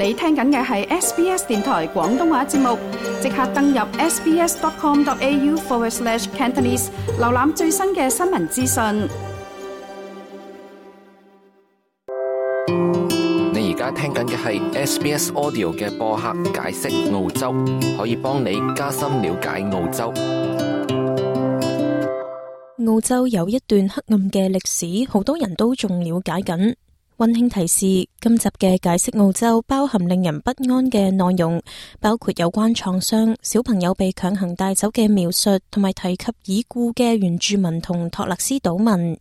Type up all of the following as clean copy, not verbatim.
你聽緊嘅係 SBS 電台廣東話節目，即刻登入 sbs.com.au/Cantonese 瀏覽最新嘅新聞資訊。你而家聽緊嘅係 SBS Audio 嘅播客解釋澳洲，可以幫你加深了解澳洲。澳洲有一段黑暗嘅歷史，好多人都仲了解緊。溫馨提示：今集嘅解釋澳洲包含令人不安嘅內容，包括有關創傷、小朋友被強行帶走嘅描述，同埋提及已故嘅原住民同托勒斯島民。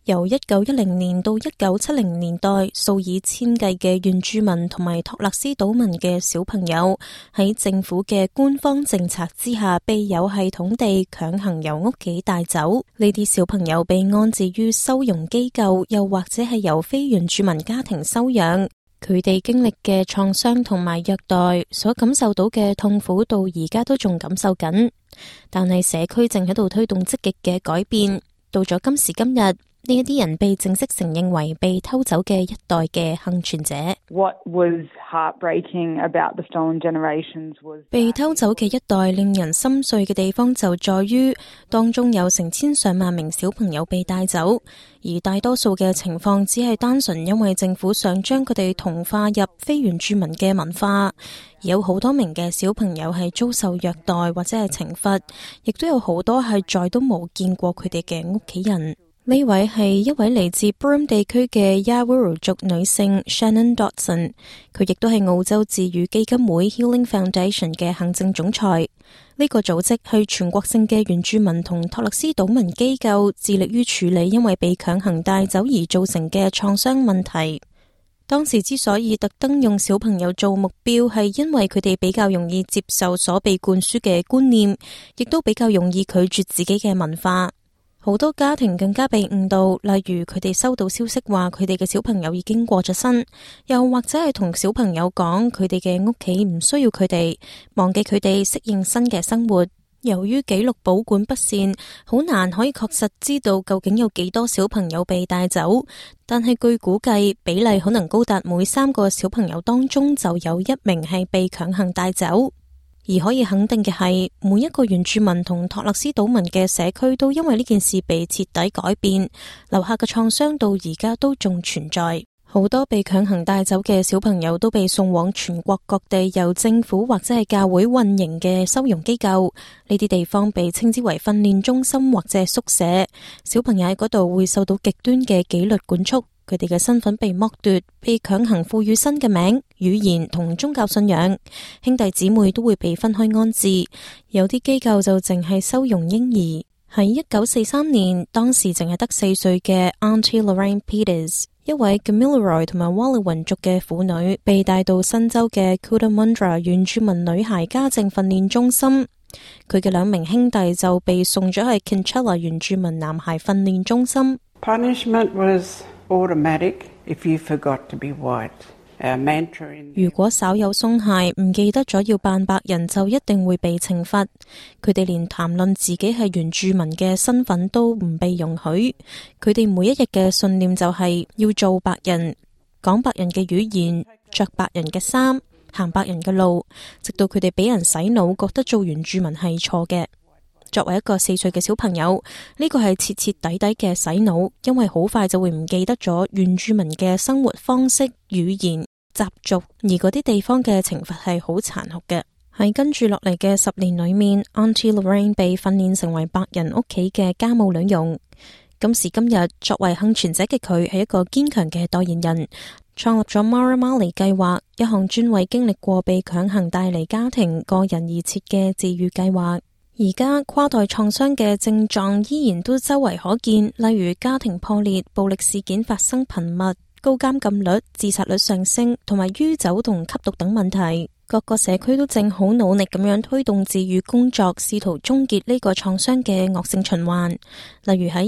由1910年到1970年代，數以千計嘅原住民同埋托勒斯島民嘅小朋友喺政府嘅官方政策之下，被有系統地強行由屋企帶走。呢啲小朋友被安置於收容機構，又或者係由非原住民家庭收養。佢哋經歷嘅創傷同埋虐待，所感受到嘅痛苦，到而家都仲感受緊。但係社區正喺度推動積極嘅改變。到咗今時今日，呢一啲人被正式承認為被偷走嘅一代嘅幸存者。被偷走嘅一代令人心碎嘅地方就在於，當中有成千上萬名小朋友被帶走，而大多數嘅情況只係單純因為政府想將佢哋同化入非原住民嘅文化。而有好多名嘅小朋友係遭受虐待或者係懲罰，亦都有好多係再都冇見過佢哋嘅屋企人。呢位係一位嚟自 Broome 地區嘅 Yawuru 族女性 Shannon Dodson， 佢亦都係澳洲治癒基金會 Healing Foundation 嘅行政總裁。呢個組織係全國性嘅原住民同托勒斯島民機構，致力於處理因為被強行帶走而造成嘅創傷問題。當時之所以特登用小朋友做目標，係因為佢哋比較容易接受所被灌輸嘅觀念，亦都比較容易拒絕自己嘅文化。好多家庭更加被誤導，例如佢哋收到消息話佢哋嘅小朋友已經過咗身，又或者係同小朋友講佢哋嘅屋企唔需要佢哋，忘記佢哋適應新嘅生活。由於記錄保管不善，好難可以確實知道究竟有幾多小朋友被帶走，但係據估計比例可能高達每3個小朋友當中就有1名係被強行帶走。而可以肯定嘅係，每一個原住民同托勒斯島民嘅社區都因為呢件事被徹底改變，留下嘅創傷到而家都仲存在。好多被強行帶走嘅小朋友都被送往全國各地由政府或者係教會運營嘅收容機構，呢啲地方被稱之為訓練中心或者係宿舍。小朋友喺嗰度會受到極端嘅紀律管束，佢哋嘅身份被剝奪，被強行賦予新嘅名、語言同宗教信仰。兄弟姊妹都會被分開安置，有啲機構就淨係收容嬰兒。喺1943年，當時淨係得4歲嘅 Auntie Lorraine Peters， 一位 Gamilaroi 同埋 Wallowan 族嘅婦女，被帶到新州嘅 Cootamundra 原住民女孩家政訓練中心。佢嘅2名兄弟就被送咗去 Kinchela 原住民男孩訓練中心。Punishment was automatic if you forgot to be white. 如果稍有鬆懈，唔記得咗要扮白人，就一定會被懲罰。佢哋連談論自己係原住民嘅身份都唔被容許。佢哋每一日嘅信念就係要做白人，講白人嘅語言，着白人嘅衫，行白人嘅路，直到佢哋俾人洗腦，覺得做原住民係錯嘅。作為一個4歲嘅小朋友，呢個係徹徹底底嘅洗腦，因為好快就會唔記得咗原住民嘅生活方式、語言、習俗，而嗰啲地方嘅懲罰係好殘酷嘅。喺跟住落嚟嘅10年裏面， Auntie Lorraine 被訓練成為白人屋企嘅家務女傭。今時今日，作為幸存者嘅佢係一個堅強嘅代言人，創立咗 Mara Mali 計劃，一項專為經歷過被強行帶離家庭個人而設嘅治癒計劃。而家跨代創傷嘅症狀依然都周圍可見，例如家庭破裂、暴力事件發生頻密、高監禁率、自殺率上升，同埋酗酒同吸毒等問題。各個社區都正好努力咁樣推動治癒工作，試圖終結呢個創傷嘅惡性循環。例如喺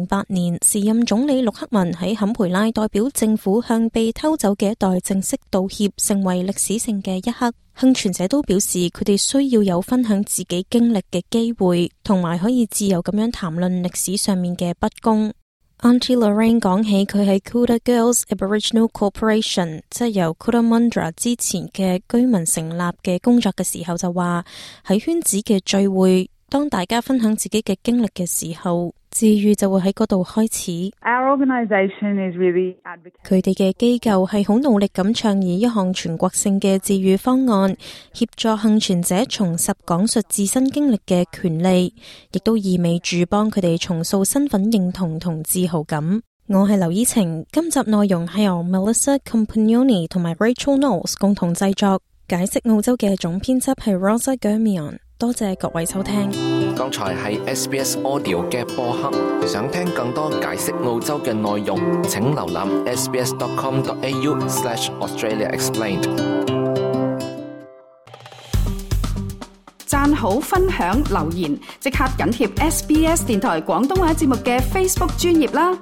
2008年，時任總理陸克文喺坎培拉代表政府向被偷走嘅一代正式道歉，成為歷史性嘅一刻。幸存者都表示，佢哋需要有分享自己經歷嘅機會，同埋可以自由咁樣談論歷史上面嘅不公。Auntie Lorraine 講起佢喺 Kooda Girls Aboriginal Corporation， 即係由 Cootamundra 之前嘅居民成立嘅工作嘅時候，就話喺圈子嘅聚會，當大家分享自己嘅經歷嘅時候，治癒就會喺嗰度開始。佢哋嘅機構係好努力咁倡議一項全國性嘅治癒方案，協助幸存者重拾講述自身經歷嘅權利，亦都意味住幫佢哋重塑身份認同同自豪感。我係劉依晴，今集內容係由 Melissa Compagnoni 同埋 Rachel Knowles 共同製作，解釋澳洲嘅總編輯係 Rosa Germion。多謝各位收聽。剛才係 SBS Audio 嘅播客，想聽更多解釋澳洲嘅內容，請瀏覽 sbs.com.au/AustraliaExplained。讚好、分享、留言，即刻緊貼SBS 電台廣東話節目嘅 Facebook 專頁啦！